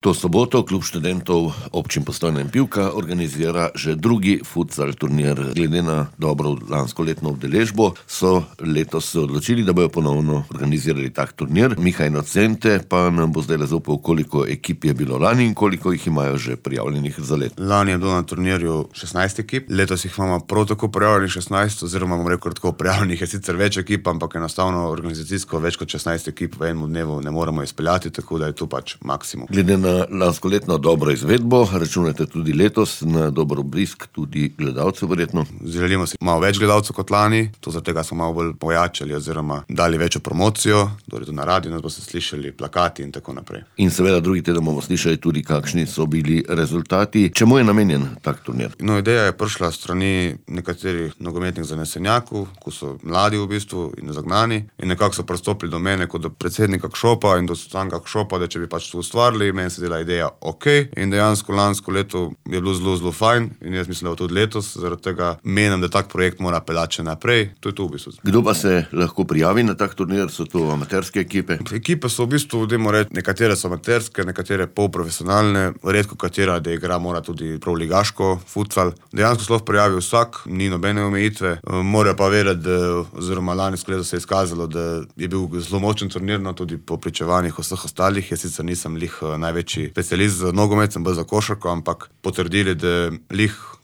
To soboto klub študentov občin Postojna in Pivka organizira že drugi futsal turnir. Glede na dobro lanskoletno udeležbo so letos se odločili, da bojo ponovno organizirali tak turnir. Miha Inocente pa nam bo zdaj zaupal, koliko ekip je bilo lani in koliko jih imajo že prijavljenih za let. Lani je bilo na turnirju 16 ekip, letos jih imamo prav tako prijavljenih 16, oziroma bomo rekel tako, prijavljenih je sicer več ekip, ampak enostavno organizacijsko več kot 16 ekip v enem dnevu ne moremo izpeljati, tako da je to pač maksimum. Glede na lanskoletno dobro izvedbo, računate tudi letos na dober obisk tudi gledalcev verjetno? Želimo si malo več gledalcev kot lani, to zaradi tega smo malo bolj pojačali oziroma dali večjo promocijo, torej tudi na radiju nas boste slišali, plakati in tako naprej. In seveda drugi teden bomo slišali tudi, kakšni so bili rezultati. Čemu je namenjen tak turnir? No, ideja je prišla strani nekaterih nogometnih zanesenjakov, ko so mladi v bistvu in zagnani in nekako so pristopili do mene kot do predsednika KŠOP-a in do samega KŠOP-a, da če bi pač to ustvarili, meni se dela ideja ok, in dejansko lansko leto je bilo zelo fajn in jaz mislim, da tudi letos, zaradi tega menim, da tak projekt mora peljati še naprej, to je to v bistvu. Kdo pa se lahko prijavi na tak turnir? So to amaterske ekipe? Ekipe so v bistvu, dajmo reči, nekatere so amaterske, nekatere polprofesionalne, redko katera, da igra mora tudi prav ligaško futsal. Dejansko se lahko prijavi vsak, ni nobene omejitve, morajo pa vedeti, oziroma lansko leto se je izkazalo, da je bil zelo močen turnir, no, tudi po pričevanjih vseh ostalih. Jaz sicer nisem največji specialist za nogomet, sem bolj za košarko, ampak potrdili, da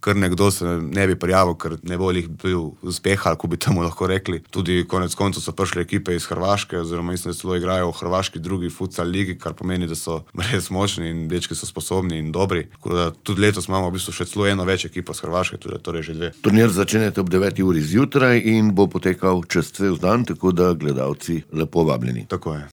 kar nekdo se ne bi prijavil, ker ne bo bil uspeh, ali ko bi temu lahko rekli. Tudi konec koncev so prišle ekipe iz Hrvaške, oziroma mislim, da celo igrajo v hrvaški drugi futsal ligi, kar pomeni, da so res močni in dečki so sposobni in dobri. Tako da tudi letos imamo v bistvu še celo eno več ekipo z Hrvaške, torej že dve. Turnir začenjate ob 9 uri zjutraj in bo potekal čez cel dan, tako da gledalci lepo vabljeni. Tako je.